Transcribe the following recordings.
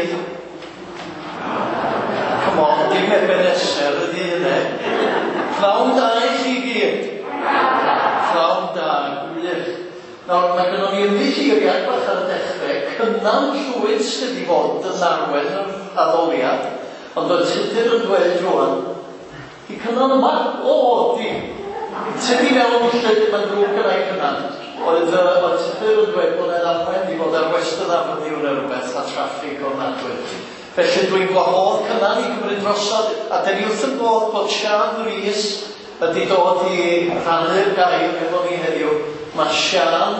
gilydd. Come on, dim Ebenezer ydy hynny. Pnawn da i chi gyd. Pnawn da, gwych. Nawr, mae gynnon ni ymddiheuriad bach ar y dechrau. Cynan Llwyd sydd i fod yn arwain yr addoliad, ond oedd Tudur yn dweud rwan, di Cynan yma? O, di. Ti di mewn llyd, mae'n ddrwg gyda'i Cynan. Oedd Tudur yn dweud bod e'n arwain i fod ar Western Avenue neu rhywbeth a traffig ofnadwy. Felly dwi'n gwahodd Cynan i gymryd drosodd, a dyn ni wrth y bodd bod Siân Rees ydi dod i rhannu'r gair efo ni heddiw. Mae Siân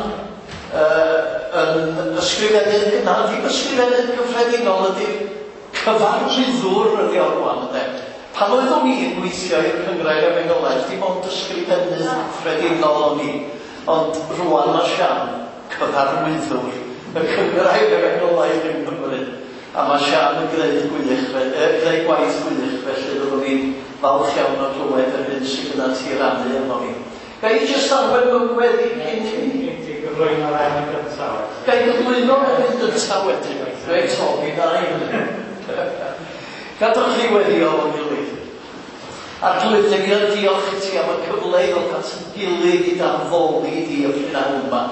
yn ysgrifennydd, na ddim ysgrifennydd cyffredinol, ydy cyfarwyddwr ydi o rwan, ynde. Pan oeddwn i'n gweithio i'r Cynghrair Efengylaidd, dim ond ysgrifennydd cyffredinol o'n i, ond rwan mae Siân cyfarwyddwr y Cynghrair Efengylaidd yng Nghymru. A mae Siân yn gwneud gwych, gwneud gwaith gwych, felly fyddwn ni'n falch iawn o glywed yr hyn sydd gyda ti rannu efo ni. Ga i jyst arwain mewn gweddi cyn hynny? Ti gyflwyno'r emyn gyntaf. Ga i gyflwyno'r emyn gyntaf wedyn? Reit, o, mi wna i hynny. Gadwch chi weddio fo'n gilydd. Arglwydd, dan ni yn diolch i ti am y cyfle i ddod at yn gilydd i addoli di y prynhawn yma.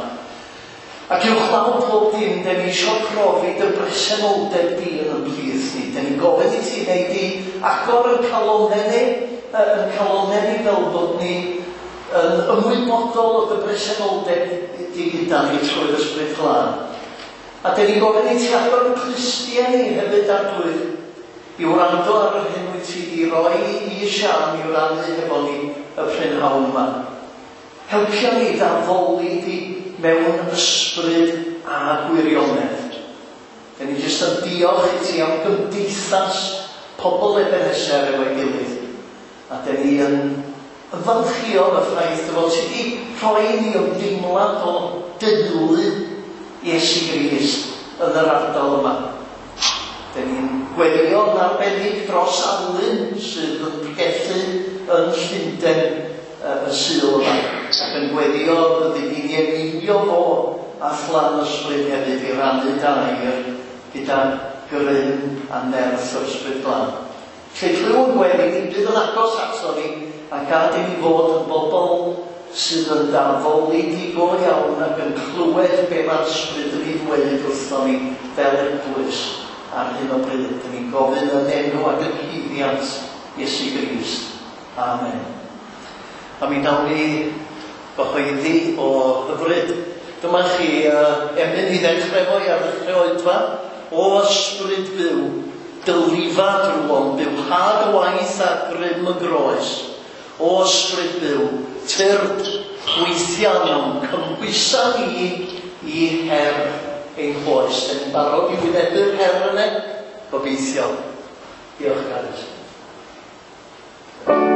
Ac uwchlaw pob dim, dan ni eisiau profi dy bresenoldeb di yn y plith ni. Dan ni'n gofyn i ti wneud i agor yn calonnau ni, yn calonnau ni fel bod ni yn ymwybodol o dy bresenoldeb di gyda ni trwy'r Ysbryd Glân. A dan ni'n gofyn i ti agor yn clustiau ni hefyd, Arglwydd, i wrando ar yr hyn wyt ti di roi i Siân i rannu hefo ni y prynhawn yma. Helpia ni addoli di mewn ysbryd a gwirionedd. Dan ni jyst yn diolch i ti am gymdeithas pobl Ebenezer efo'i gilydd. A dan ni yn ymfalchïo yn y ffaith dy fod ti wedi rhoi ni ymdeimlad o deulu Iesu Grist yn yr ardal yma. Dan ni'n gweddio yn arbennig dros Alun sydd yn pregethu yn Llundain y Sul yma, ac yn gweddio byddi di'n eneinio fo a phlan ysbryd hefyd i rannu dair gyda grym a nerth yr Ysbryd Glân. Lle clyw'n gweddi ni bydd yn agos ato ni a gad i ni fod yn bobl sydd yn addoli di go iawn ac yn clywed be mae'r ysbryd yn ei ddweud wrthon ni fel eglwys ar hyn o bryd. Dan ni'n gofyn yn enw ac yn haeddiant Iesu Grist. Amen. A mi nawn ni gyhoeddi o hyfryd. Dyma chi emyn i ddechrau fo i ar ddechrau oedfa. O ysbryd byw, dylifa drwom, bywhad y waith a grym y groes. O ysbryd byw, tyrd gweithia mewn cymhwysa ni i her ein hoes. Dan ni'n barod i wynebu'r her yna? Gobeithio. Diolch, Gareth. Oh,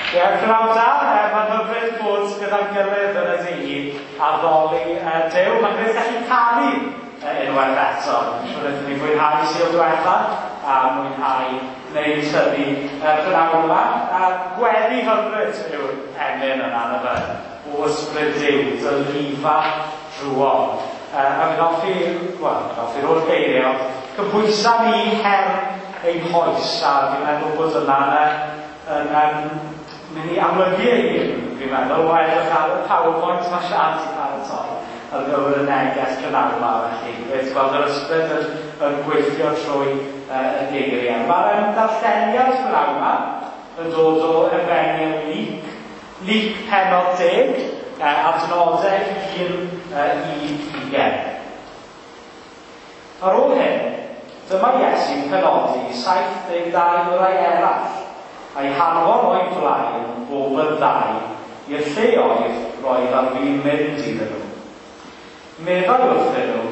Ie, pnawn da, mae'n hyfryd bod gyda'n gilydd yn y dydd addoli Duw. Mae'n grêt gallu canu unwaith eto. Dwi'n siŵr wnaethon ni fwynhau Sul diwetha a mwynhau wneud hynny pnawn yma. A gweddi hyfryd yw'r emyn yna, na fe? O ysbryd Duw, dy lifa drwodd. A fi'n hoffi, wel, fi'n hoffi'r holl geiriau, ond cymhwysa ni her ein hoes, a fi'n meddwl bod yna yn mynd i amlygu ei hun, fi'n meddwl, o edrych ar y PowerPoint mae Sian 'di paratoi ar gyfer y neges prynhawn yma, felly grêt gweld yr ysbryd yn gweithio trwy y geiriau. Mae'r darlleniad prynhawn yma yn dod o Efengyl Luc, Luc pennod 10, adnodau 1 i 20. Ar ôl hyn, dyma Iesu'n penodi 72 o rai eraill, a'i hanfon o'i flaen bob yn ddau i'r lleoedd roedd ar fin mynd iddyn nhw. Meddai wrthyn nhw,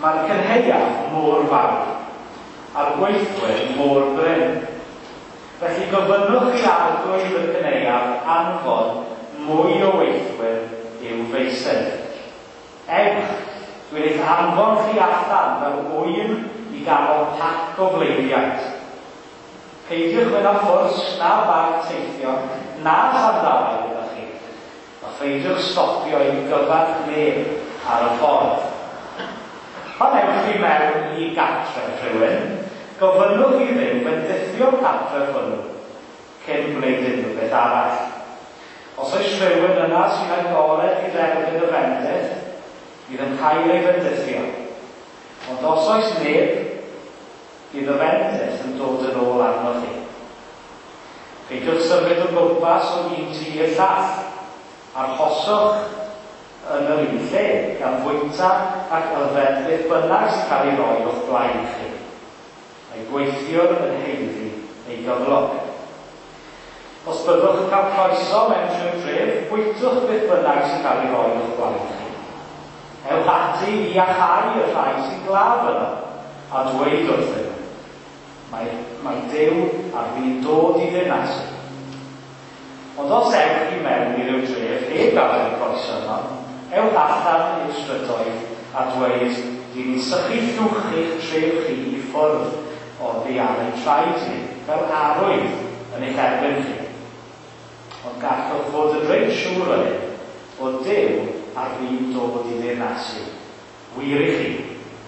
mae'r cynhaeaf mor fawr, a'r gweithwyr mor brin. Felly gofynnwch i arglwydd y cynhaeaf anfon mwy o weithwyr i'w feysydd. Ewch, dwi'n eich anfon chi allan fel ŵyn i ganol pac o bleiddiaid. Peidiwch mynd â phwrs na bag teithio na sandalau gyda chi, a pheidiwch stopio i gyfarch neb ar y ffordd. Pan ewch chi mewn i gartref rhywun, gofynnwch i Dduw fendithio'r cartref hwnnw cyn gwneud unrhyw beth arall. Os oes rhywun yna sy'n agored i dderbyn y fendith, bydd yn cael ei fendithio. Ond os oes neb, bydd y fendith yn dod yn ôl arnoch chi. Peidiwch symud o gwmpas o un tŷ i'r llall. Arhoswch yn yr un lle, gan fwyta ac yfed beth bynnag sy'n cael ei roi o'ch blaen chi. Mae gweithiwr yn haeddu ei gyflog. Os byddwch yn cael croeso mewn rhyw dref, bwytwch beth bynnag sy'n cael ei roi o'ch blaen chi. Ewch ati i iachau y rhai sy'n glaf yno, a dweud wrthyn nhw, mae Duw ar fin dod i ddinasu. Ond os ewch i mewn i ryw dref heb gael y croeso yno, ewch allan i'r strydoedd a dweud, dyn ni'n sychu llwch eich tref chi i ffwrdd oddi ar ein traed ni, fel arwydd yn eich erbyn chi. Ond gallwch fod yn reit siŵr o hyn, bod Duw ar fin dod i ddinasu. Wir i chi,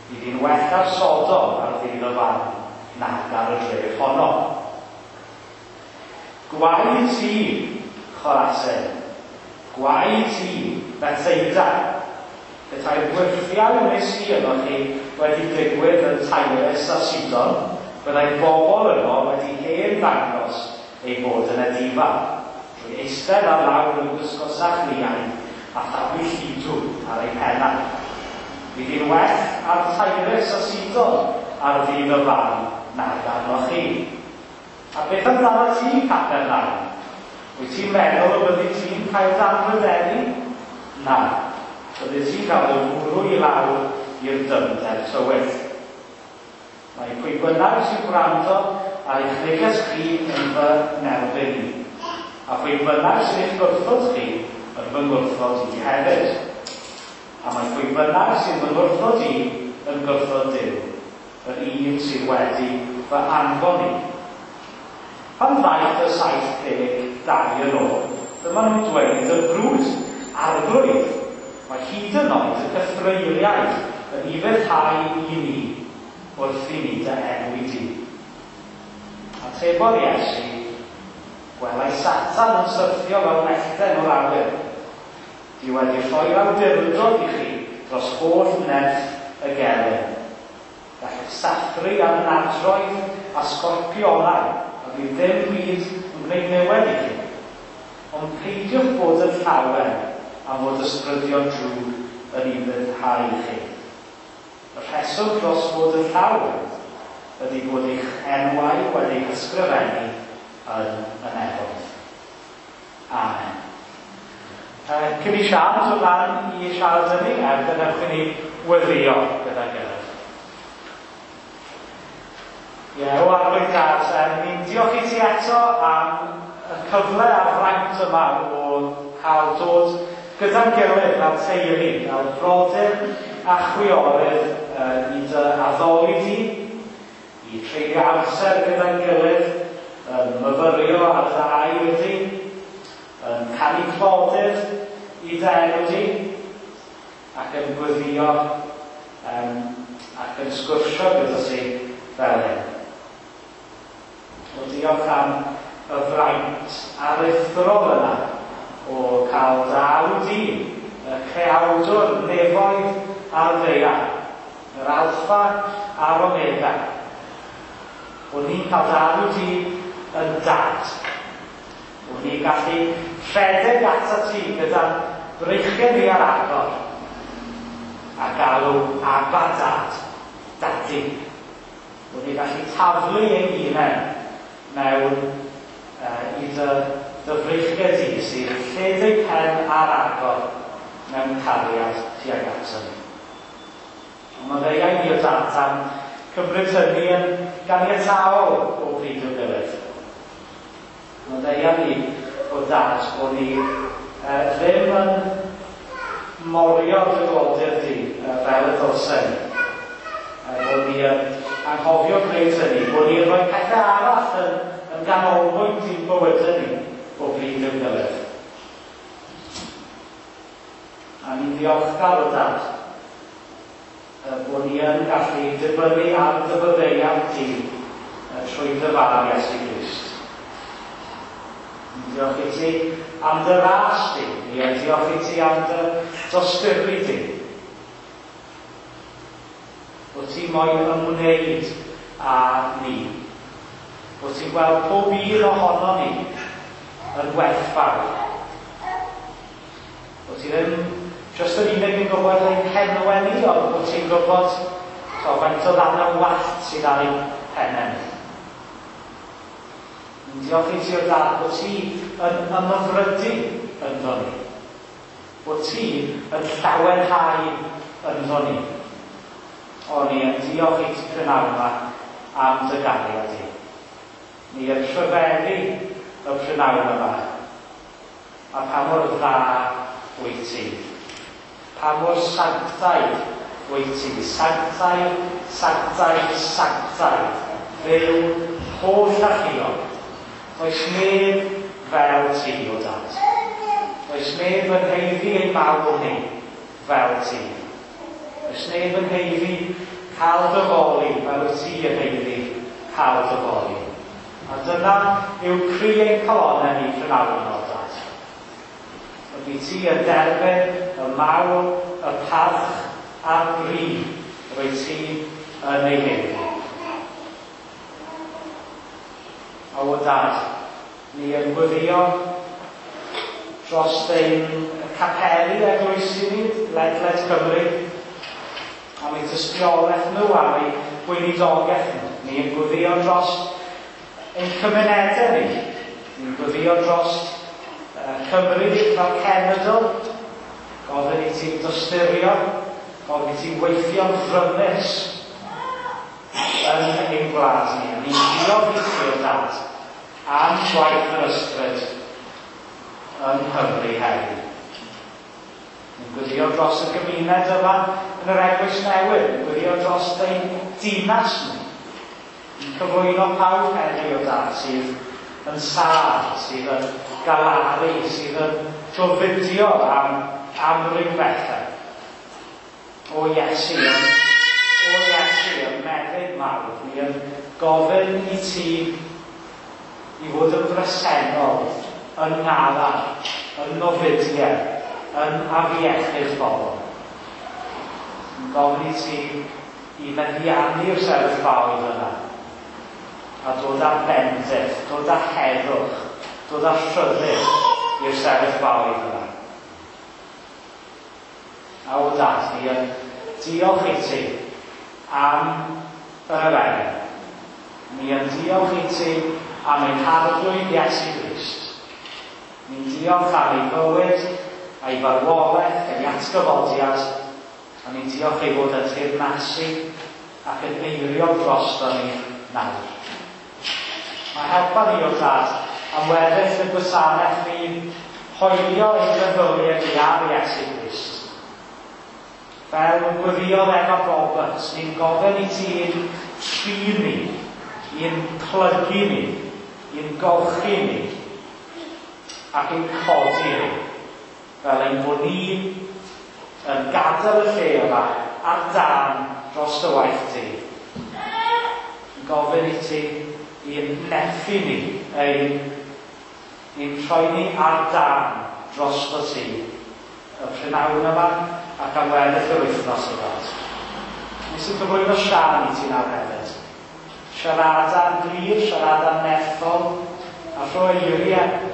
bydd hi'n well ar Sodom ar ddydd y farn nag ar y dref honno. Gwae ti, Chorazin, gwae ti, Bethsaida, petai'r gwyrthiau wnes i yno chi wedi digwydd yn Tyrus a Sidon, byddai bobl yno wedi hen ddangos ei bod yn edifar, trwy eistedd ar lawr yn gwisgo sachliain a thaflu lludw ar ei pennau. Bydd hi'n well ar Tyrus a Sidon ar ddydd y farn nag arnoch chi. A beth amdano ti, Capernaum? Wyt ti'n meddwl y byddi ti'n cael dy anrhydeddu? Na, byddi ti'n cael dy fwrw i lawr i'r dyfnder tywyll. Mae pwy bynnag sy'n gwrando ar eich neges chi yn fy nerbyn i, a phwy bynnag sy'n eich gwrthod chi yn fy ngwrthod i hefyd. A mae pwy bynnag sy'n fy ngwrthod i yn gwrthod Duw, yr un sydd wedi fy anfon i. Pan ddaeth y 72 yn ôl, dyma nhw'n dweud yn frwd, arglwydd, mae hyd yn oed y cythreuliaid yn ufuddhau i ni wrth i ni dy enw i di. Atebodd Iesu, gwelai Satan yn syrthio fel mellten o'r awyr. Di wedi rhoi'r awdurdod i chi dros holl nerth y gelyn. Gallwch sathru ar nadroedd a sgorpionau, a bydd ddim byd yn gwneud niwed i chi. Ond peidiwch bod yn llawen am fod ysbrydion drwg yn ufuddhau i chi. Y rheswm dros fod yn llawen ydy bod eich enwau wedi ysgrifennu yn y nefoedd. Amen. Cyn i Sian dod lan i siarad â ni, gadewch i ni weddïo gyda'n gilydd. Ie, o Arglwydd Dad, ni'n diolch i ti eto am y cyfle a'r fraint yma o cael dod gyda'n gilydd fel teulu, fel brodyr a chwiorydd i dy addoli di, i treulio amser gyda'n gilydd, yn myfyrio ar dy air di, yn canu clodydd i dy enw di, ac yn gweddio ac yn sgwrsio gyda ti fel hyn. O, diolch am y fraint aruthrol yna o cael dy alw di, y creawdwr nefoedd a'r ddaear, yr Alffa a'r Omega. Bod ni'n cael dy alw di yn dad. Bod ni'n gallu rhedeg atat ti gyda'n breichiau ni ar agor a galw Abba Dad, Dadi. Bod ni'n gallu taflu ein hunain mewn i dy freichiau di sydd lled eu pen ar agor mewn cariad tuag ato ni. Ond maddeuai ni o Dad am cymryd hynny yn ganiataol o bryd i'w gilydd. Maddeuai ni o Dad bod ni ddim yn morio dy glodydd di fel y dylsen ni. Bod ni yn anghofio gwneud hynny, bod ni'n rhoi pethau arall yn ganolbwynt i'n bywydau ni o bryd i'w gilydd. A ni'n ddiolchgar o Dad bod ni yn gallu dibynnu ar dy faddeuant di trwy dy fab Iesu Grist. Ni'n diolch i ti am dy ras di. Ni yn diolch i ti am dy dosturi di. Bod ti moyn ymwneud â ni. Bod ti'n gweld pob un ohono ni yn werthfawr. Bod ti ddim jyst yn unig yn gwybod ein henwau ni, ond bod ti'n gwybod faint o ddarnau wallt sydd ar ein pennau ni. Ni'n diolch i ti o Dad bod ti yn ymhyfrydu ynddo ni. Bod ti yn llawenhau ynddo ni. O, ni yn diolch i ti prynhawn yma am dy gariad di. Ni yn rhyfeddu y prynhawn yma. A pa mor dda wyt ti. Pa mor sanctaidd wyt ti. Sanctaidd, sanctaidd, sanctaidd. Dduw holl alluog. Does neb fel ti, o Dad. Does neb yn haeddu ein mawl ni fel ti. Does neb yn haeddu cael dy foli fel wyt ti yn haeddu cael dy foli. A dyna yw cri ein calonnau ni prynhawn yma, o Dad. Ydy ti yn derbyn y mawl, y parch a'r bri rwyt ti yn ei haeddu. O Dad, ni yn gweddio dros ein capeli eglwysi ni ledled Cymru, am eu tystiolaeth nhw, am eu gweinidogaeth nhw. Ni yn gweddio dros ein cymunedau ni. Ni'n gweddio dros Cymru fel cenedl. Gofyn i ti dosturio, gofyn i ti weithio'n frymus yn ein gwlad ni. A ni'n diolch i ti o Dad am gwaith yr ysbryd yng Nghymru heddiw. Ni'n gweddio dros y gymuned yma yn yr Eglwys Newydd. Ni'n gweddio dros ein dinas ni. Ni'n cyflwyno pawb heddiw o Dad sydd yn sâl, sydd yn galaru, sydd yn gofidio am amryw bethau. O Iesu, o Iesu, y meddyg mawr, ni yn gofyn i ti i fod yn bresennol, yn ngalar, yn ngofidiau, yn afiechyd bobl. Yn gofyn i ti i feddiannu'r sefyllfaoedd yna a dod â bendith, dod â heddwch, dod â rhyddid i'r sefyllfaoedd yna. A o Dad, ni yn diolch i ti am yr efengyl. Ni yn diolch i ti am ein Harglwydd Iesu Grist. Ni'n diolch am ei fywyd, a'i farwolaeth, ei atgyfodiad, a ni'n diolch ei fod yn teyrnasu ac yn eiriol drosto ni nawr. Mae helpa ni o Dad Am weddill y gwasanaeth ni'n hoelio ein meddyliau ni ar Iesu Grist. Fel gweddïodd Emma Roberts, ni'n gofyn i ti'n trin ni, i'n plygu ni, i'n golchi ni, ac ein codi ni, fel ein bod ni yn gadael y lle yma ar dân dros dy waith ti. Yn gofyn i ti i'n nerthu ni, ein, i'n rhoi ni ar dân drosto ti y prynhawn yma ac am weddill yr wythnos yma. Nes i gyflwyno Sian i ti nawr hefyd. Siarada'n glir, siarada'n nerthol, a rhoi eiriau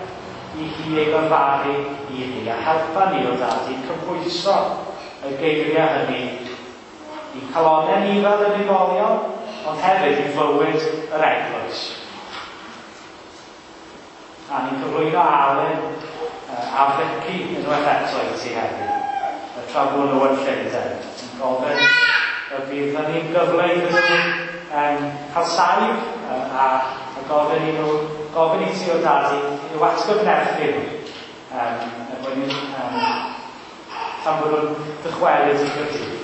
i hi ei lefaru i ni, a helpa ni o dad i cymhwyso y geiriau hynny i'n calonnau ni fel unigolion, ond hefyd i fywyd yr eglwys. A ni'n cyflwyno Alun a Vicky unwaith eto i ti heddiw, y tra bod nhw yn Llundain. Ni'n gofyn y bydd hynny'n gyfle iddyn nhw cael saib a gofyn i nhw, gofyn i ti o dad i'w atgyfnerthu nhw. Er mwyn tan bod nhw'n dychwelyd i Gaerdydd.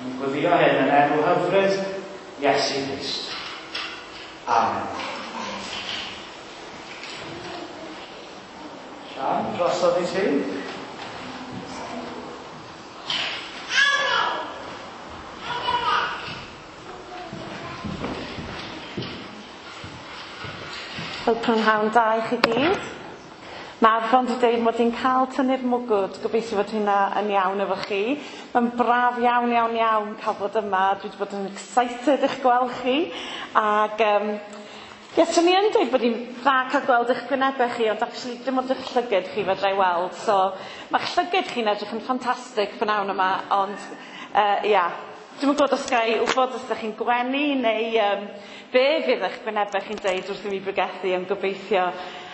Ni'n gweddio hyn yn enw hyfryd Iesu Grist. Amen. Sian, drosodd i ti. Wel, prynhawn da i chi gyd. Mae Arfon wedi dweud mod i'n cael tynnu'r mwgwd, gobeithio fod hynna yn iawn efo chi. Mae'n braf iawn, iawn, iawn cael bod yma. Dwi wedi bod yn excited eich gweld chi. Ac, ie, so ni yn dweud bod hi'n dda cael gweld eich gwynebau chi, ond actually dim ond eich llyged chi fedra i weld. So, mae'ch llyged chi'n edrych yn ffantastig prynhawn yma, ond ia. Dwi'm yn gwybod os ga i wybod os ydych chi'n gwenu neu be fydd eich gwynebau chi'n deud wrth i mi bregethu, ond gobeithio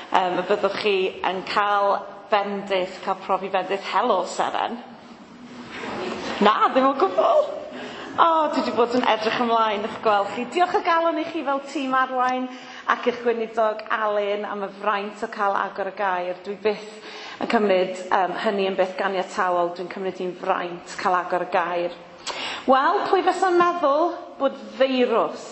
y byddwch chi yn cael bendith, cael profi bendith. Helo, Seren. Na, ddim o gwbl. O, dwi wedi bod yn edrych ymlaen i'ch gweld chi. Diolch o galon i chi fel tîm arwain ac i'ch gweinidog Alun am y fraint o cael agor y gair. Dwi byth yn cymryd hynny yn beth ganiataol. Dwi'n cymryd hi'n fraint cael agor y gair. Wel, pwy fysa'n meddwl bod feirws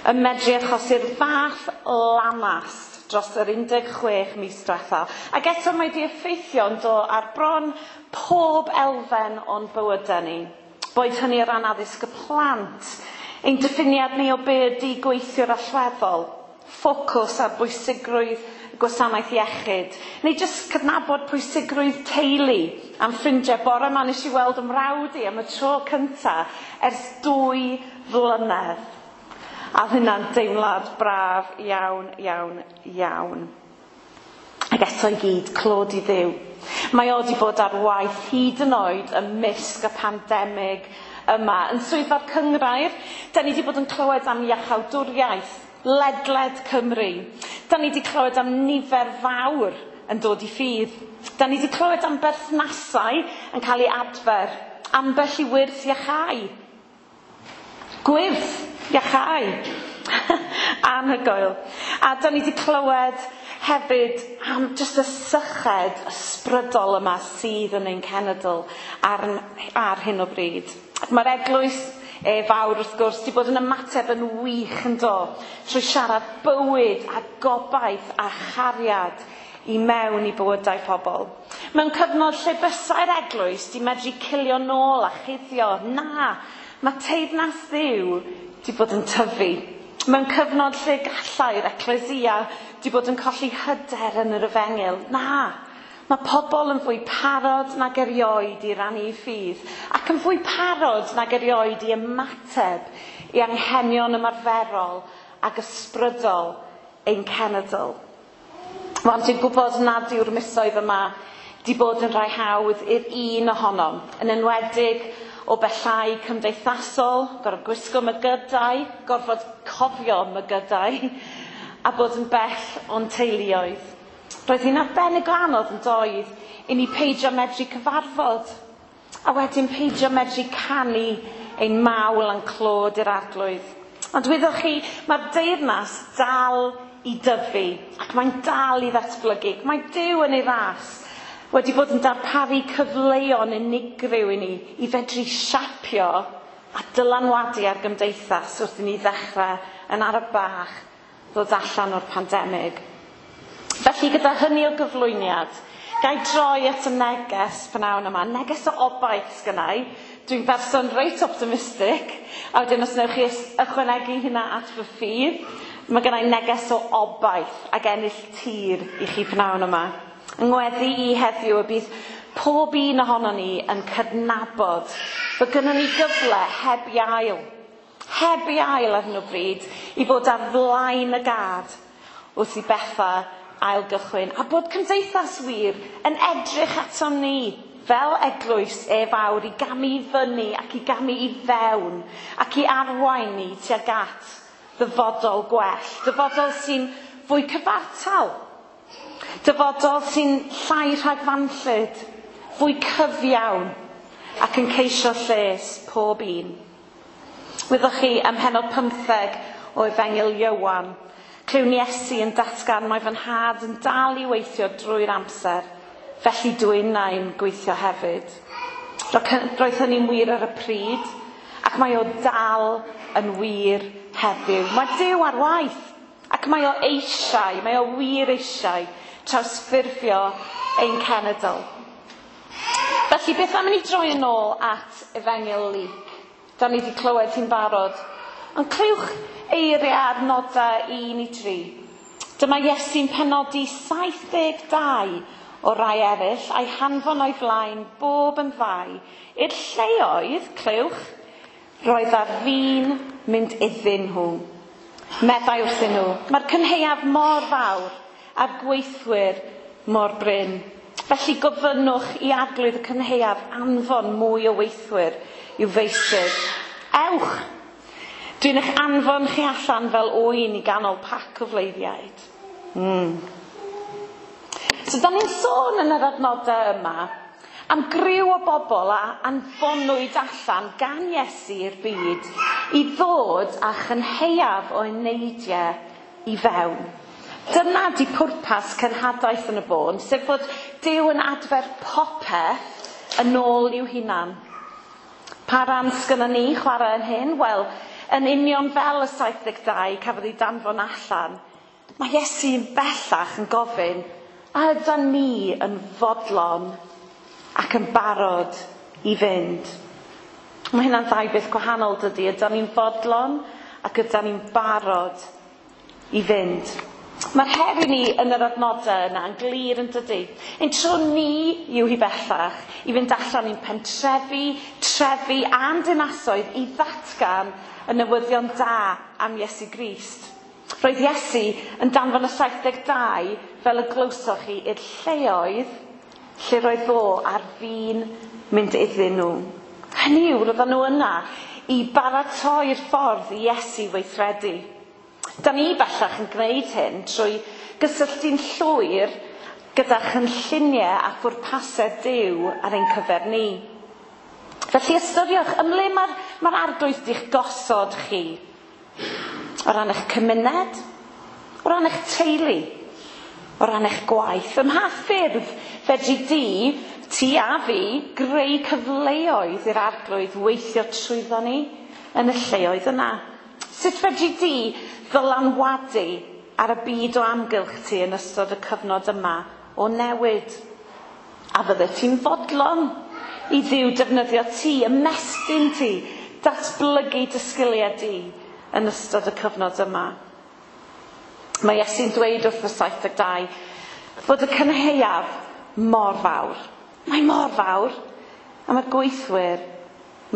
yn medru achosi'r fath lanast dros yr 16 mis diwetha. Ac eto mae di effeithio'n do ar bron pob elfen o'n bywydau ni. Boed hynny o ran addysg y plant, ein diffiniad ni o be ydi gweithiwr allweddol, ffocws ar bwysigrwydd gwasanaeth iechyd, neu jyst cydnabod pwysigrwydd teulu am ffrindiau. Bore yma nes i weld ymrawd i am y tro cynta ers 2 flynedd. A oedd hynna'n deimlad braf iawn, iawn, iawn. Ac eto i gyd, clod i Dduw. Mae o wedi bod ar waith hyd yn oed ymysg y pandemig yma. Yn swyddfa'r cynghrair, da ni wedi bod yn clywed am iachawdwriaeth ledled Cymru. Da ni wedi clywed am nifer fawr yn dod i ffydd. Da ni wedi clywed am berthnasau yn cael ei adfer, ambell i wyrth iachau. Gwyrth iachau. Anhygoel. A da ni wedi clywed hefyd am jyst y syched ysbrydol yma sydd yn ein cenedl ar hyn o bryd. Mae'r eglwys fawr wrth gwrs wedi bod yn ymateb yn wych yn do, trwy siarad bywyd a gobaith a chariad i mewn i bywydau pobl. Mewn cyfnod lle bysai'r eglwys di medru cilio nôl a chuddio, na, mae teyrnas Dduw di bod yn tyfu. Mewn cyfnod lle gallai'r ecclesia di bod yn colli hyder yn yr efengyl, na, mae pobl yn fwy parod nag erioed i rannu ffydd, ac yn fwy parod nag erioed i ymateb i anghenion ymarferol ac ysbrydol ein cenedl. Wel, dwi'n gwybod nad yw'r misoedd yma di bod yn rhai hawdd i'r un ohonom, yn enwedig o bellau cymdeithasol, gorfod gwisgo mygydau, gorfod cofio mygydau, a bod yn bell o'n teuluoedd. Roedd hi'n arbennig o anodd yn doedd i ni peidio medru cyfarfod, a wedyn peidio medru canu ein mawl a'n clod i'r arglwydd. Ond wyddoch chi, mae'r deyrnas dal i dyfu ac mae'n dal i ddatblygu. Mae Duw yn ei ras wedi bod yn darparu cyfleon unigryw i ni i fedru siapio a dylanwadu ar gymdeithas wrth i ni ddechrau yn araf bach ddod allan o'r pandemig. Felly gyda hynny o gyflwyniad, ga i droi at y neges pnawn yma. Neges o obaith sgynna i. Dwi'n berson reit optimistic, a wedyn os wnewch chi ychwanegu hynna at fy ffydd, mae gynna i neges o obaith ac ennill tir i chi pnawn yma. Ngweddi i heddiw y bydd pob un ohonon ni yn cydnabod bod gynnon ni gyfle heb i ail, heb i ail ar hyn o bryd, i fod ar flaen y gad wrth i bethau ailgychwyn, a bod cymdeithas wir yn edrych aton ni fel eglwys e fawr i gamu i fyny ac i gamu i fewn ac i arwain ni tuag at ddyfodol gwell, dyfodol sy'n fwy cyfartal, dyfodol sy'n llai rhagfanllyd, fwy cyfiawn ac yn ceisio lles pob un. Wyddoch chi, ym mhennod 15 o Efengyl Ioan, clywn Iesu yn datgan mae fy nhad yn dal i weithio drwy'r amser, felly dw innau'n gweithio hefyd. Roedd hynny'n wir ar y pryd, ac mae o dal yn wir heddiw. Mae Duw ar waith, ac mae o eisiau, mae o wir eisiau trawsffurfio ein cenedl. Felly, beth am i ni droi yn ôl at Efengyl Luc? Da ni wedi clywed hi'n barod. Ond clywch eiriau ar nodau 1 i 3. Dyma Iesu'n penodi 72 o rai eraill a'i hanfon o'i flaen bob yn ddau i'r lleoedd, clywch, roedd ar fin mynd iddyn nhw. Meddai wrthyn nhw, mae'r cynhaeaf mor fawr a'r gweithwyr mor brin. Felly gofynnwch i arglwydd y cynhaeaf anfon mwy o weithwyr i'w feysydd. Ewch! Dwi'n eich anfon chi allan fel oen i ganol pac o fleiddiaid. So, da ni'n sôn yn yr adnodau yma am griw o bobl a anfonwyd allan gan Iesu i'r byd i ddod â chynhaeaf o eneidiau i fewn. Dyna di pwrpas cenhadaeth yn y bôn, sef fod Duw yn adfer popeth yn ôl i'w hunan. Pa ran sgynnon ni chwarae yn hyn? Wel, yn union fel y 72 cafodd ei danfon allan, mae Iesu'n bellach yn gofyn, a ydan ni yn fodlon ac yn barod i fynd? Mae hynna'n ddau beth gwahanol dydy. Ydan ni'n fodlon ac ydan ni'n barod i fynd? Mae'r her i ni yn yr adnodau yna yn glir yn dydy. Ein tro ni yw hi bellach i fynd allan i'n pentrefi, trefi a'n dinasoedd i ddatgan y newyddion da am Iesu Grist. Roedd Iesu yn danfon y 72 fel y glywsoch chi i'r lleoedd lle roedd o ar fin mynd iddyn nhw. Hynny yw, roedden nhw yna i baratoi'r ffordd i Iesu weithredu. Da ni bellach yn gwneud hyn trwy gysylltu'n llwyr gyda chynlluniau a phwrpasau Duw ar ein cyfer ni. Felly ystyriwch, ymle mae'r arglwydd di'ch gosod chi? O ran eich cymuned, o ran eich teulu, o ran eich gwaith. Ym mha ffyrdd fedri di, ti a fi, greu cyfleoedd i'r arglwydd weithio trwyddo ni yn y lleoedd yna? Sut fedri di ddylanwadu ar y byd o amgylch ti yn ystod y cyfnod yma o newid? A fydde ti'n fodlon i Dduw defnyddio ti, ymestyn ti, datblygu dy sgiliau di yn ystod y cyfnod yma? Mae Iesu'n dweud wrth y 72 fod y cynhaeaf mor fawr. Mae mor fawr, a mae'r gweithwyr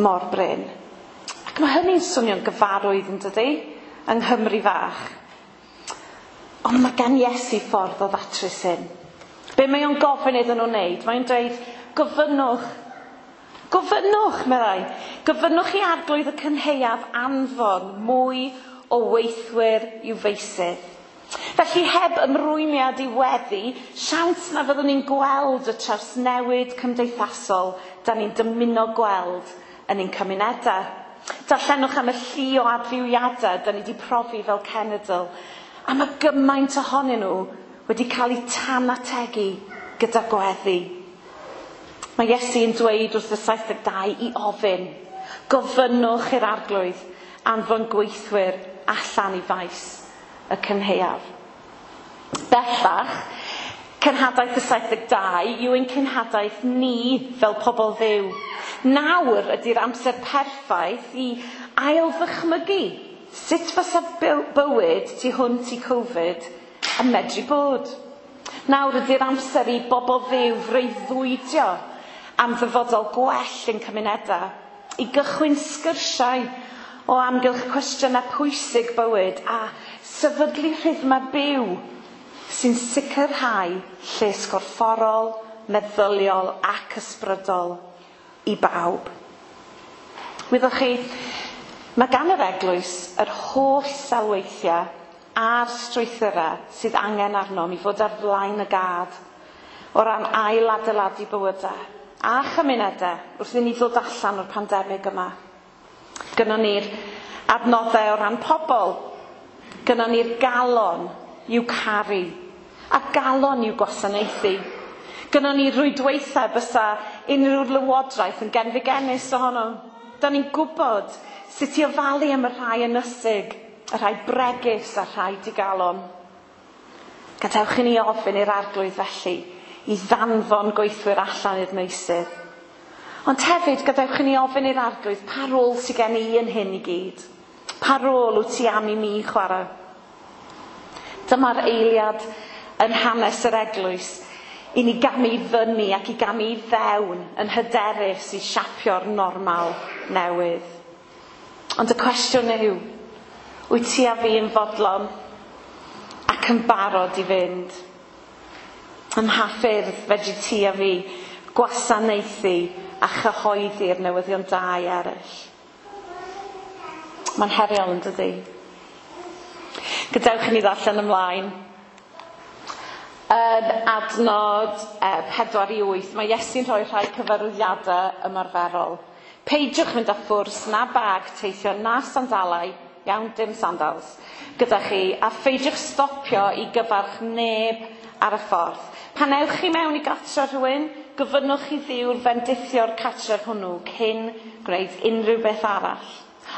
mor brin. Ac mae hynny'n swnio'n gyfarwydd yn dydy, yng Nghymru fach. Ond mae gan Iesu ffordd o ddatrys hyn. Be mae o'n gofyn iddyn nhw wneud? Mae'n dweud, gofynnwch. Gofynnwch, meddai. Gofynnwch i arglwydd y cynhaeaf anfon mwy o weithwyr i'w feysydd. Felly heb ymrwymiad i weddi, siawns na fyddwn ni'n gweld y trawsnewid cymdeithasol da ni'n dymuno gweld yn ein cymunedau. Darllenwch am y llu o adfywiadau da ni wedi profi fel cenedl. A mae gymaint ohonyn nhw wedi cael eu tanategu gyda gweddi. Mae Iesu yn dweud wrth y 72 i ofyn. Gofynnwch i'r arglwydd anfon gweithwyr allan i faes y cynhaeaf. Bellach, cenhadaeth y 72 yw ein cenhadaeth ni fel pobl Dduw. Nawr ydy'r amser perffaith i ail-ddychmygu sut fysa bywyd tu hwnt i Covid yn medru bod. Nawr ydy'r amser i bobl Dduw freuddwydio am ddyfodol gwell yn cymunedau, i gychwyn sgyrsiau o amgylch cwestiynau pwysig bywyd a sefydlu rhythmau byw sy'n sicrhau lles gorfforol, meddyliol ac ysbrydol i bawb. Wyddoch chi, mae gan yr eglwys yr holl selweithiau a'r strwythurau sydd angen arnom i fod ar flaen y gad o ran ail-adeiladu bywydau a chymunedau wrth i ni ddod allan o'r pandemig yma. Gynnon ni'r adnoddau o ran pobl, gynnon ni'r galon i'w caru a galon i'w gwasanaethu. Gynnon ni rwydweithiau bysa unrhyw lywodraeth yn genfigennus ohono. Da ni'n gwybod sut i ofalu am y rhai ynysig, y rhai bregus a'r rhai digalon. Gadewch i ni ofyn i'r arglwydd felly i ddanfon gweithwyr allan i'r meysydd. Ond hefyd, gadewch i ni ofyn i'r arglwydd pa rôl sydd gen i yn hyn i gyd? Pa rôl wyt ti am i mi chwarae? Dyma'r eiliad yn hanes yr eglwys i ni gamu fyny ac i gamu i fewn yn hyderus i siapio'r normal newydd. Ond y cwestiwn yw, wyt ti a fi yn fodlon ac yn barod i fynd? Ym mha ffyrdd fedri ti a fi gwasanaethu a chyhoeddi'r newyddion da i eraill? Mae'n heriol yn dydi? Gadewch i ni ddarllen ymlaen. Yn adnod 4 i 8, mae Iesu'n rhoi rhai cyfarwyddiadau ymarferol. Peidiwch mynd â phwrs na bag teithio na sandalau, iawn, dim sandals, gyda chi, a pheidiwch stopio i gyfarch neb ar y ffordd. Pan ewch chi mewn i gartre rhywun, gofynnwch i Dduw fendithio'r cartref hwnnw cyn gwneud unrhyw beth arall.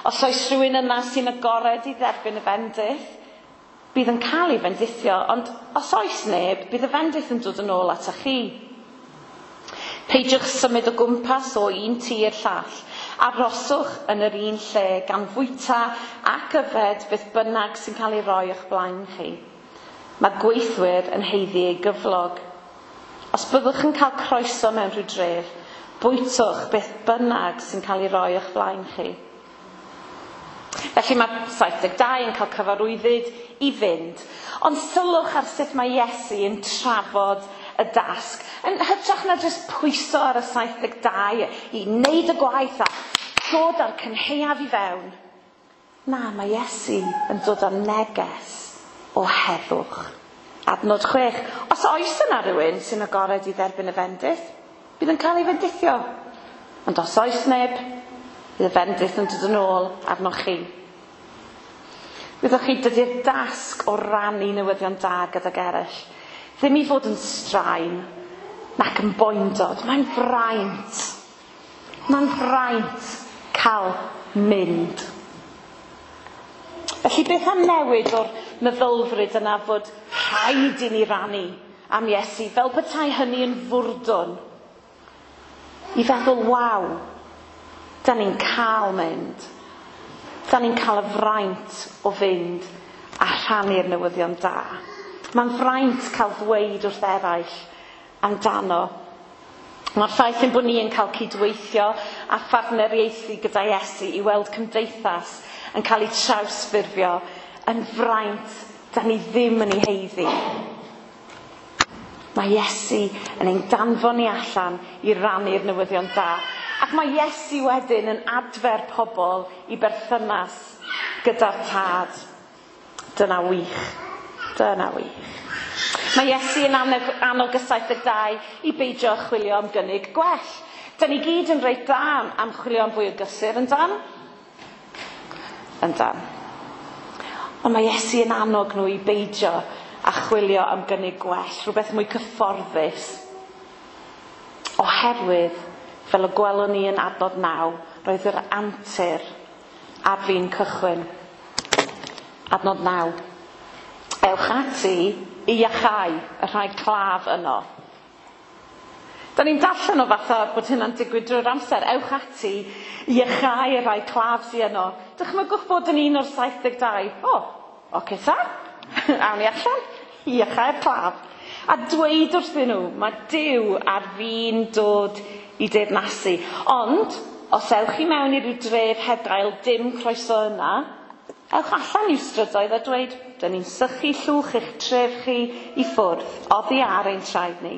Os oes rhywun yna sy'n agored i dderbyn y fendith, bydd yn cael ei fendithio, ond os oes neb, bydd y fendith yn dod yn ôl atoch chi. Peidiwch symud o gwmpas o un tŷ i'r llall. Arhoswch yn yr un lle gan fwyta ac yfed beth bynnag sy'n cael ei roi o'ch blaen chi. Mae gweithwyr yn haeddu ei gyflog. Os byddwch yn cael croeso mewn rhyw dref, bwytwch beth bynnag sy'n cael ei roi o'ch blaen chi. Felly mae 72 yn cael cyfarwyddyd i fynd. Ond sylwch ar sut mae Iesu yn trafod y dasg. Yn hytrach na jyst pwyso ar y 72 i wneud y gwaith a dod â'r cynhaeaf i fewn. Na, mae Iesu yn dod â neges o heddwch. Adnod 6. Os oes yna rhywun sy'n agored i dderbyn y fendith, bydd yn cael ei fendithio. Ond os oes neb, bydd y fendith yn dod yn ôl arnoch chi. Wyddoch chi, dydy'r dasg o rannu newyddion da gydag eraill ddim i fod yn straen nac yn boendod. Mae'n fraint. Mae'n fraint cael mynd. Felly beth am newid o'r meddylfryd yna fod rhaid i ni rannu am Iesu, fel petai hynny yn fwrdwn, i feddwl, waw, da ni'n cael mynd. Da ni'n cael y fraint o fynd a rhannu'r newyddion da. Mae'n fraint cael ddweud wrth eraill amdano. Mae'r ffaith ein bod ni yn cael cydweithio a phartneriaethu gyda Iesu i weld cymdeithas yn cael ei trawsffurfio yn fraint da ni ddim yn ei haeddu. Mae Iesu yn ein danfon ni allan i rannu'r newyddion da. Ac mae Iesu wedyn yn adfer pobl i berthynas gyda'r Tad. Dyna wych. Dyna wych. Mae Iesu yn annog y 72 i beidio chwilio am gynnig gwell. Da ni gyd yn reit dda am chwilio am fwy o gysur, yn dan? Yndan. Ond mae Iesu yn annog nhw i beidio a chwilio am gynnig gwell, rhywbeth mwy cyfforddus. Oherwydd, fel y gwelwn ni yn adnod 9, roedd yr antur ar fin cychwyn. Adnod 9. Ewch ati i iachau y rhai claf yno. Da ni'n darllen o fatha bod hynna'n digwydd drwy'r amser. Ewch ati i iachau y rhai claf sydd yno. Dychmygwch bod yn un o'r 72. O, oce ta. Awn ni allan. Iachau'r claf. A dweud wrthyn nhw, mae Duw ar fin dod i deyrnasu. Ond, os ewch i mewn i ryw dref heb gael dim croeso yna, ewch allan i'w strydoedd a dweud, dyn ni'n sychu llwch eich tref chi i ffwrdd, oddi ar ein traed ni,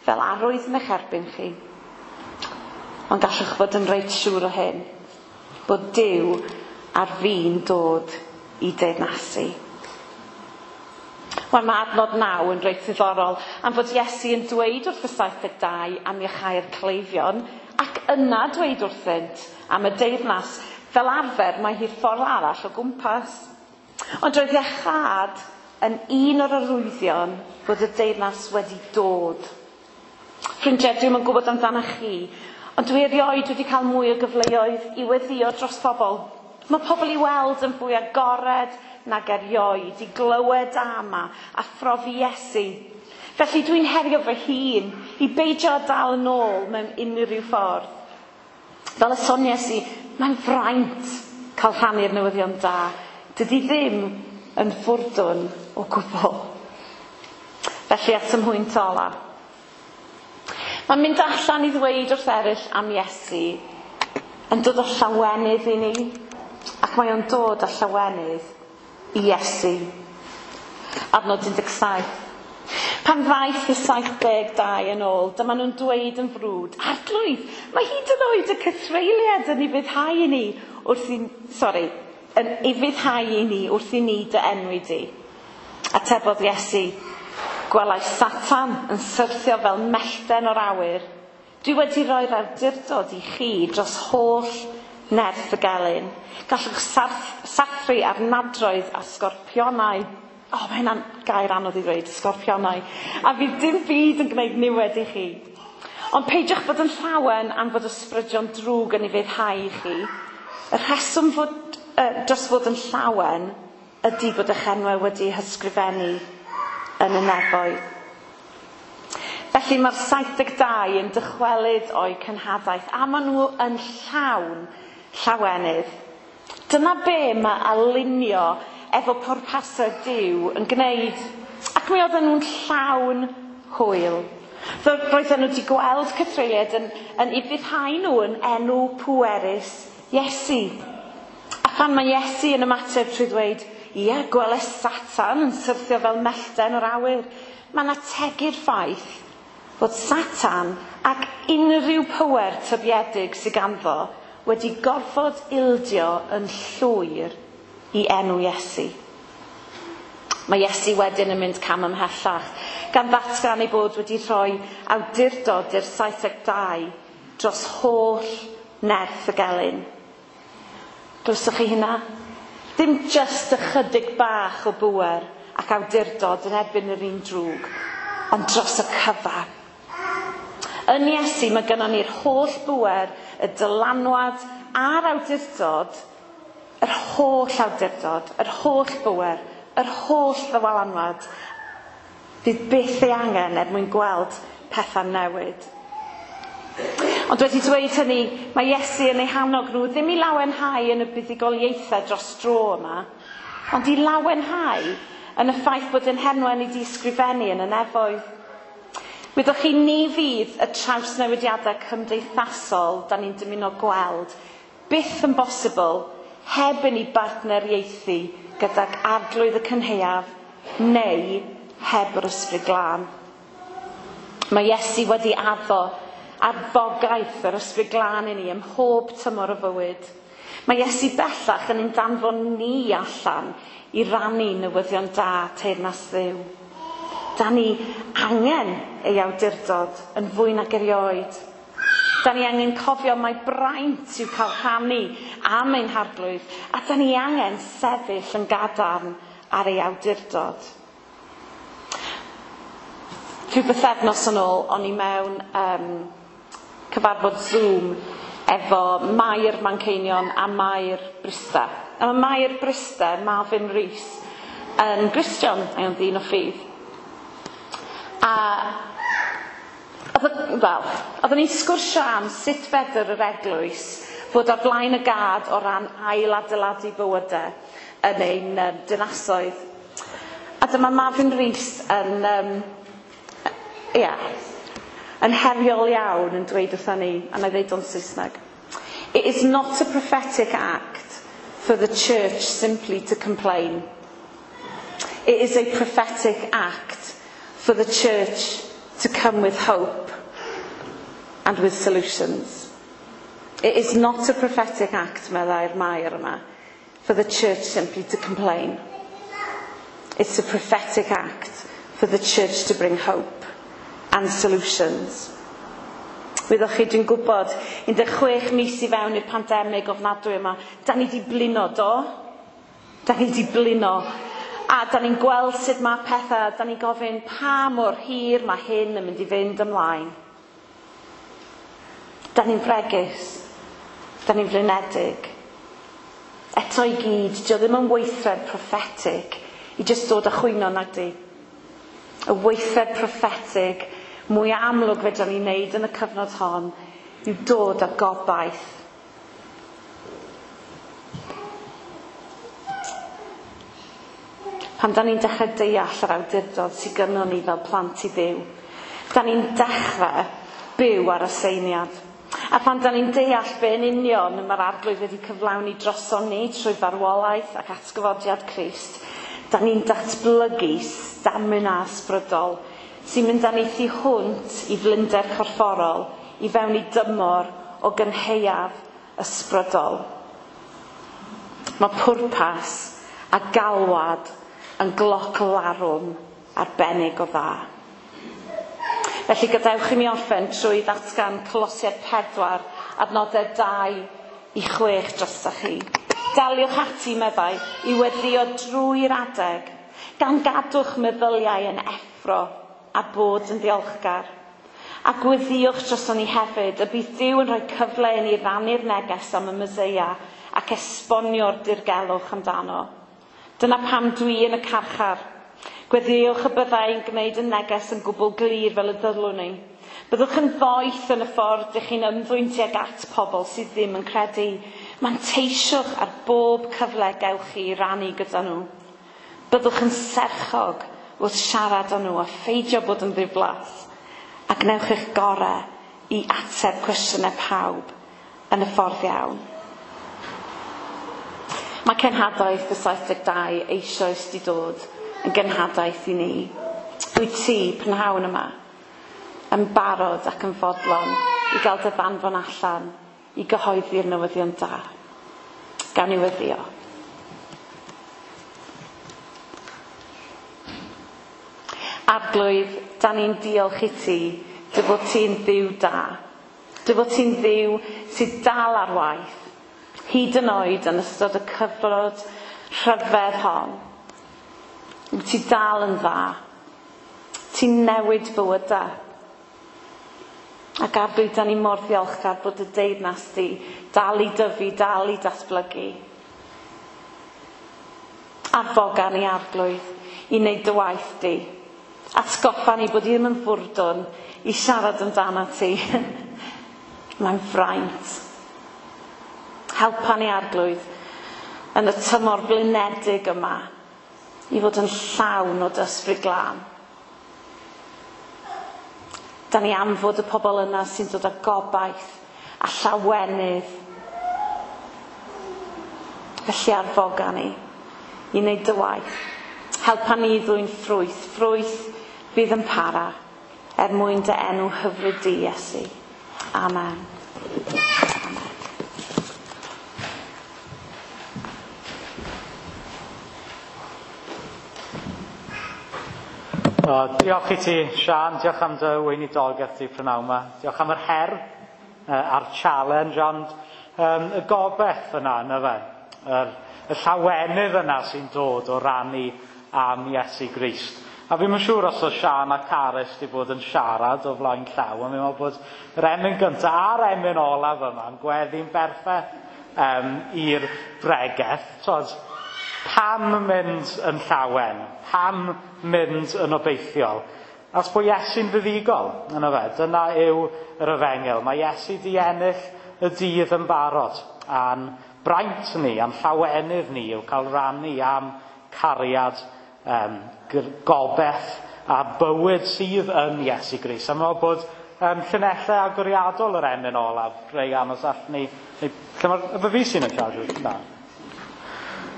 fel arwydd yn eich erbyn chi. Ond gallwch fod yn reit siŵr o hyn, bod Duw ar fin dod i deyrnasu. Wel, mae adnod 9 yn reit ddiddorol am fod Iesu yn dweud wrth y 72 am iachau'r cleifion ac yna dweud wrthynt am y deyrnas. Fel arfer, mae hi'r ffordd arall o gwmpas. Ond roedd iachâd yn un o'r arwyddion bod y deyrnas wedi dod. Ffrindiau, dwi'm yn gwybod amdanoch chi, ond dwi erioed wedi cael mwy o gyfleoedd i weddïo dros pobl. Mae pobl i weld yn fwy agored nag erioed, i glywed am a phrofi Iesu. Felly dwi'n herio fy hun i beidio â dal yn ôl mewn unrhyw ffordd. Fel y soniais i, mae'n fraint cael rhannu'r newyddion da. Dydy ddim yn fwrdwn o gwbl. Felly at y mhwynt ola. Mae'n mynd allan i ddweud wrth eraill am Iesu yn dod â llawenydd i ni, ac mae o'n dod â llawenydd i Iesu. Adnod 17. Pan ddaeth y 72 yn ôl, dyma nhw'n dweud yn frwd, Arglwydd, mae hyd yn oed y cythreuliad yn ufuddhau i ni wrth i, sori, yn ufuddhau i ni wrth i ni dy enwi di. Atebodd Iesu, gwelai Satan yn syrthio fel mellten o'r awyr. Dwi wedi rhoi'r awdurdod i chi dros holl nerth y gelyn. Gallwch sathru ar nadroedd a sgorpionau. O, mae hynna'n gair anodd i ddweud, sgorpionau. A fydd dim byd yn gwneud niwed i chi. Ond peidiwch bod yn llawen am fod ysbrydion drwg yn ufuddhau i chi. Y rheswm fod, dros fod yn llawen ydy bod eich enwau wedi hysgrifennu yn y nefoedd. Felly mae'r 72 yn dychwelyd o'u cenhadaeth a maen nhw yn llawn llawenydd. Dyna be mae alinio efo pwrpasau Duw yn gwneud. Ac mi oedden nhw'n llawn hwyl. Roedden nhw wedi gweld cythreuliad yn ufuddhau nhw yn enw pwerus Iesu. A phan mae Iesu yn ymateb trwy ddweud, ia, gweles Satan yn syrthio fel mellten o'r awyr, mae'n ategu'r ffaith fod Satan ac unrhyw pŵer tybiedig sydd ganddo wedi gorfod ildio yn llwyr i enw Iesu. Mae Iesu wedyn yn mynd cam ymhellach, gan ddatgan ei bod wedi rhoi awdurdod i'r 72 dros holl nerth y gelyn. Glywsoch chi hynna? Dim jyst ychydig bach o bŵer ac awdurdod yn erbyn yr un drwg, ond dros y cyfan. Yn Iesu mae gynnon ni'r holl bŵer, y dylanwad a'r awdurdod, yr holl awdurdod, yr holl bŵer, yr holl ddylanwad fydd byth ei angen er mwyn gweld pethau newid. Ond wedi dweud hynny, mae Iesu yn eu hannog nhw ddim i lawenhau yn y buddugoliaethau dros dro yma, ond i lawenhau yn y ffaith bod ein henwau ni wedi ysgrifennu yn y nefoedd. Wyddoch chi, ni fydd y trawsnewidiadau cymdeithasol da ni'n dymuno gweld byth yn bosibl heb i ni bartneriaethu gydag Arglwydd y Cynhaeaf neu heb yr Ysbryd Glân. Mae Iesu wedi addo arfogaeth yr Ysbryd Glân i ni ym mhob tymor o fywyd. Mae Iesu bellach yn ein danfon ni allan i rannu newyddion da teyrnas Dduw. Da ni angen ei awdurdod yn fwy nag erioed. Da ni angen cofio mai braint yw cael rhannu am ein harglwydd, a da ni angen sefyll yn gadarn ar ei awdurdod. Rhyw bythefnos yn ôl, o'n i mewn cyfarfod Zoom efo Mair Manceinion a Mair Bryste. A mae Mair Bryste, Marvin Rees, yn Gristion, a'i o'n ddyn o ffydd. A oedden ni'n sgwrsio am sut fedr yr eglwys fod ar flaen y gad o ran ail-adeiladu bywydau yn ein dinasoedd. A dyma Marvin Rees yn, yn heriol iawn yn dweud wrthon ni, a na i ddeud o'n Saesneg. It is not a prophetic act for the church simply to complain. It is a prophetic act for the church to come with hope and with solutions. It is not a prophetic act, meddai'r Mair yma, for the church simply to complain. It's a prophetic act for the church to bring hope and solutions. Wyddoch chi, dwi'n gwybod, 16 mis i fewn i'r pandemig ofnadwy yma, da ni di blino, do? Da ni di blino. A da ni'n gweld sut mae pethau, da ni'n gofyn pa mor hir mae hyn yn mynd i fynd ymlaen. Da ni'n fregus, da ni'n flinedig. Eto i gyd, dio ddim yn weithred proffetig i jyst dod a chwyno nag di. Y weithred proffetig mwy amlwg fedra ni wneud yn y cyfnod hon yw dod â gobaith. Pan da ni'n dechrau deall yr awdurdod sydd gynnon ni fel plant i Dduw, da ni'n dechrau byw ar y seiniad. A pan da ni'n deall be yn union mae'r arglwydd wedi cyflawni droson ni trwy farwolaeth ac atgyfodiad Crist, da ni'n datblygu stamina ysbrydol sy'n mynd â ni thu hwnt i flinder corfforol, i fewn i dymor o gynhaeaf ysbrydol. Mae pwrpas a galwad yn gloc larwm arbennig o dda. Felly gadewch i mi orffen trwy ddatgan Colosiaid 4, adnodau 2 i 6 drostoch chi. Daliwch ati, meddai, i weddio drwy'r adeg, gan gadw'ch meddyliau yn effro a bod yn ddiolchgar. A gweddiwch droson ni hefyd, y bydd Duw yn rhoi cyfle i ni rannu'r neges am y Meseia ac esbonio'r dirgelwch amdano. Dyna pam dwi yn y carchar. Gweddiwch y byddai yn gwneud y neges yn gwbl glir fel y dylwn ni. Byddwch yn ddoeth yn y ffordd ydych chi'n ymddwyn tuag at pobl sydd ddim yn credu. Manteisiwch ar bob cyfle gewch chi i rannu gyda nhw. Byddwch yn serchog wrth siarad â nhw a pheidio bod yn ddiflas. A gwnewch eich gorau i ateb cwestiynau pawb yn y ffordd iawn. Mae cenhadaeth y 72 eisoes di dod yn genhadaeth i ni. Wyt ti, prynhawn yma, yn barod ac yn fodlon i gael dy ddanfon allan i gyhoeddi'r newyddion da. Gawn ni weddio. Arglwydd, da ni'n diolch i ti, dy fod ti'n Dduw da. Dy fod ti'n Dduw sydd dal ar waith, hyd yn oed yn ystod y cyfnod rhyfedd hon. Wyt ti dal yn dda. Ti'n newid bywydau. Ac Arglwydd, da ni mor ddiolchgar bod y deyrnas di dal i dyfu, dal i datblygu. Arfoga ni, Arglwydd, i wneud dy waith di. Atgoffa ni bod i ddim yn fwrdwn i siarad amdano ti. Mae'n fraint. Helpa ni, Arglwydd, yn y tymor blinedig yma i fod yn llawn o dy ysbryd glân. Da ni am fod y pobl yna sy'n dod â gobaith a llawenydd. Felly arfoga ni i wneud dy waith. Helpa ni i ddwyn ffrwyth, ffrwyth fydd yn para, er mwyn dy enw hyfryd di, Iesu. Amen. Amen. O, diolch i ti, Sian. Diolch am dy weinidogaeth di prynhawn yma. Diolch am yr her. a'r challenge, ond y gobeith yna, yna fe. Y llawenydd yna sy'n dod o rannu am Iesu Grist. A fi'n yn siŵr os oedd Sian a Carys wedi bod yn siarad o flaen llaw, ond fi'n meddwl bod yr emyn gyntaf a'r emyn olaf yma yn gweddi'n berffaith i'r bregeth. Tod, pam mynd yn llawen? Pam mynd yn obeithiol? As bod Iesu'n fuddugol, yna fe, dyna yw yr efengyl. Mae Iesu di ennill y dydd yn barod, a'n braint ni, a'n llawenydd ni yw cael rannu am cariad, gobeith a bywyd sydd yn Iesu Grist. A meddwl bod llinellau agoriadol yr emyn olaf, rei anos all ni... Lle mae'r... Efo fi sy'n y charge? Na.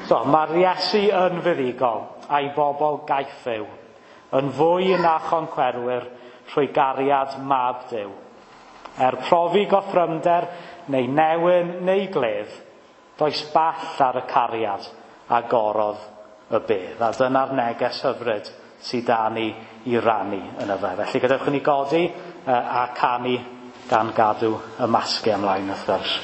So, mae'r Iesu yn fuddugol a'i bobl gaiff yw, yn fwy na choncwerwyr trwy gariad mab Duw. Er profi goffrymder neu newyn neu gledd, does ball ar y cariad agorodd y bedd. A dyna'r neges hyfryd sydd da ni i rannu yn y fe. Felly gadewch i ni godi a canu gan gadw y masgau ymlaen wrth gwrs.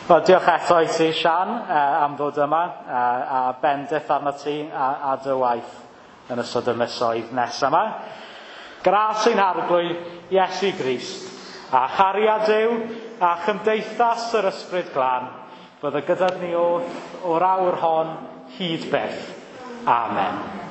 Wel, diolch eto i ti, Sian, am ddod yma, a bendith arno ti a dy waith yn ystod y misoedd nesaf yma. Gras ein Harglwydd Iesu Grist, a chariad Duw, a chymdeithas yr Ysbryd Glân, bydde gyda ni oll o'r awr hon hyd byth. Amen.